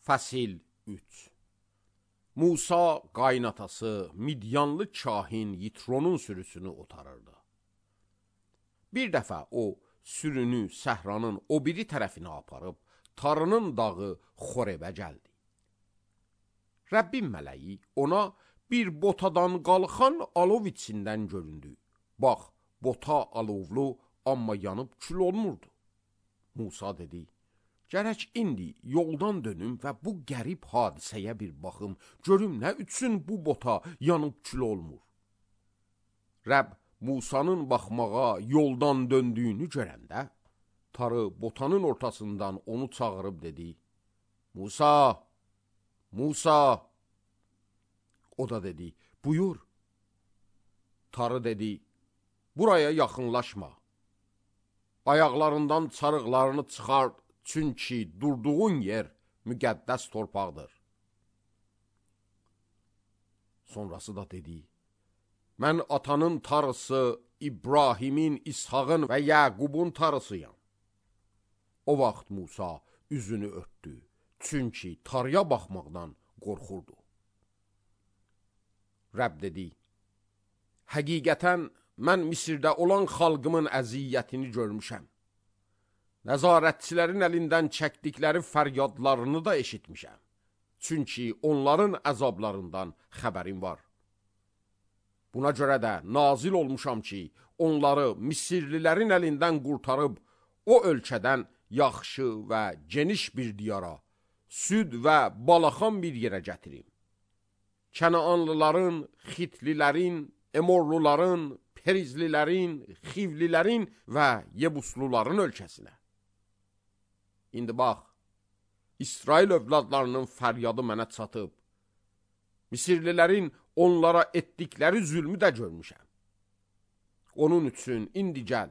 Fəsil 3. Musa qaynatası Midyanlı kahin Yitronun sürüsünü otarırdı. Bir dəfə o sürünü səhranın o biri tərəfinə aparıb, Tarının dağı Xorevə gəldi. Rəbbin mələyi ona bir botadan qalxan alov içindən göründü. Bax, bota alovlu, amma yanıb kül olmurdu. Musa dedi, gərək indi yoldan dönüm və bu qərib hadisəyə bir baxım, görüm nə üçün bu bota yanıb kül olmur. Rəbb Musanın baxmağa yoldan döndüyünü görəndə, Tarı botanın ortasından onu çağırıb dedi, Musa, Musa. O da dedi, buyur. Tarı dedi, buraya yaxınlaşma. Ayaqlarından çarıqlarını çıxar, çünki durduğun yer müqəddəs torpaqdır. Sonrası da dedi, mən atanın tarısı İbrahimin, İshağın və Yaqubun tarısıyam. O vaxt Musa üzünü örtdü, çünki tarıya baxmaqdan qorxurdu. Rəbb dedi, həqiqətən mən Misirdə olan xalqımın əziyyətini görmüşəm. Nəzarətçilərin əlindən çəkdikləri fəryadlarını da eşitmişəm. Çünki onların əzablarından xəbərim var. Buna görə də nazil olmuşam ki, onları Misirlilərin əlindən qurtarıb, o ölkədən yaxşı və geniş bir diyara, süd və balaxan bir yerə gətirim. Kənaanlıların, Xitlilərin, Emorluların, Perizlilərin, Xivlilərin və Yebusluların ölkəsinə. İndi bax, İsrail övladlarının fəryadı mənə çatıb. Misirlilərin onlara etdikləri zülmü də görmüşəm. Onun üçün indi gəl,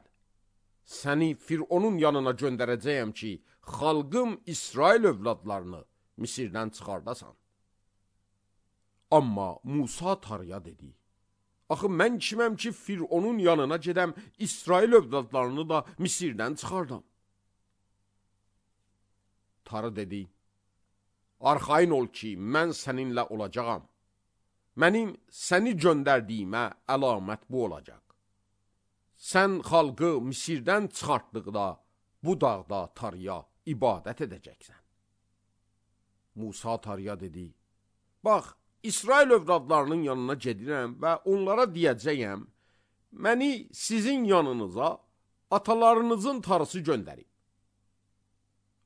səni Fironun yanına göndərəcəyəm ki, xalqım İsrail övladlarını Misirdən çıxardasan. Amma Musa Tarıya dedi, axı mən kiməm ki, Fironun yanına gedəm, İsrail övladlarını da Misirdən çıxardam. Tarı dedi, arxayın ol ki, mən səninlə olacağam. Mənim səni göndərdiyimə əlamət bu olacaq. Sən xalqı Misirdən çıxartdıqda, bu dağda Tarıya ibadət edəcəksən. Musa Tarıya dedi, bax, İsrail övladlarının yanına gedirəm və onlara deyəcəyəm, məni sizin yanınıza atalarınızın tarısı göndərib.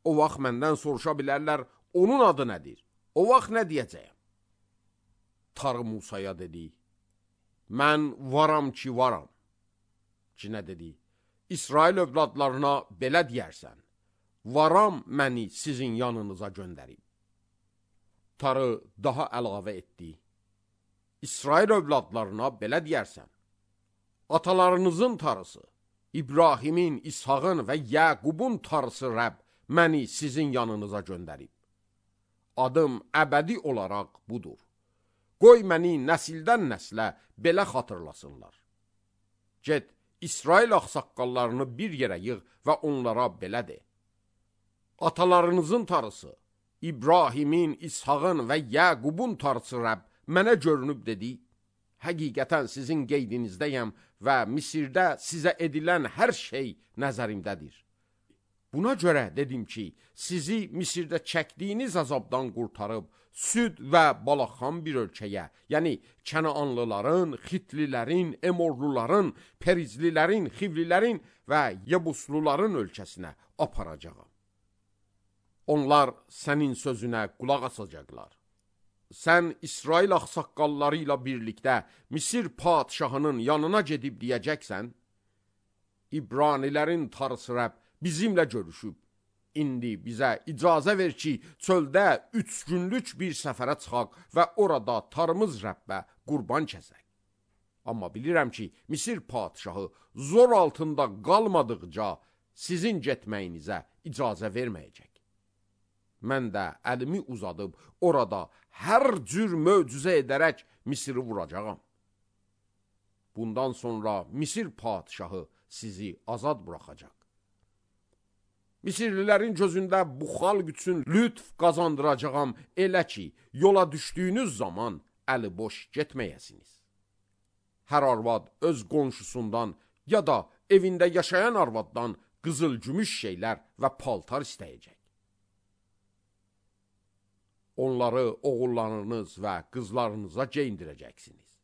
O vaxt məndən soruşa bilərlər, onun adı nədir? O vaxt nə deyəcəyəm? Tarı Musaya dedi, mən varam ki varam. Ki nə dedi? İsrail övladlarına belə deyərsən, varam məni sizin yanınıza göndərib. Tarı daha əlavə etdi, İsrail övladlarına belə deyərsən, atalarınızın tarısı, İbrahimin, İshağın və Yaqubun tarısı Rəbb məni sizin yanınıza göndərib. Adım əbədi olaraq budur. Qoy məni nəsildən nəslə belə xatırlasınlar. Get, İsrail ağsaqqallarını bir yerə yığ və onlara belə de. Atalarınızın tarısı, İbrahimin, İshağın və Yaqubun tarısı Rəbb mənə görünüb dedi, həqiqətən sizin qeydinizdəyəm və Misirdə sizə edilən hər şey nəzərimdədir. Buna görə dedim ki, sizi Misirdə çəkdiyiniz əzabdan qurtarıb, süd və balaxan bir ölkəyə, yəni Kənaanlıların, Xitlilərin, Emorluların, Perizlilərin, Xivlilərin və Yebusluların ölkəsinə aparacağam. Onlar sənin sözünə qulaq asacaqlar. Sən İsrail ağsaqqalları ilə birlikdə Misir padişahının yanına gedib deyəcəksən, İbranilərin tarısı Rəbb bizimlə görüşüb. İndi bizə icazə ver ki, çöldə 3 günlük bir səfərə çıxaq və orada tarımız Rəbbə qurban kəsək. Amma bilirəm ki, Misir padişahı zor altında qalmadıqca sizin getməyinizə icazə verməyəcək. Mən də əlimi uzadıb orada hər cür möcüzə edərək Misiri vuracağam. Bundan sonra Misir padişahı sizi azad buraxacaq. Misirlilərin gözündə bu xalq üçün lütf qazandıracağam, elə ki, yola düşdüyünüz zaman əli boş getməyəsiniz. Hər arvad öz qonşusundan ya da evində yaşayan arvaddan qızıl-gümüş şeylər və paltar istəyəcək. Onları oğullarınız və qızlarınıza geyindirəcəksiniz.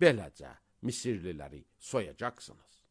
Beləcə Misirliləri soyacaqsınız.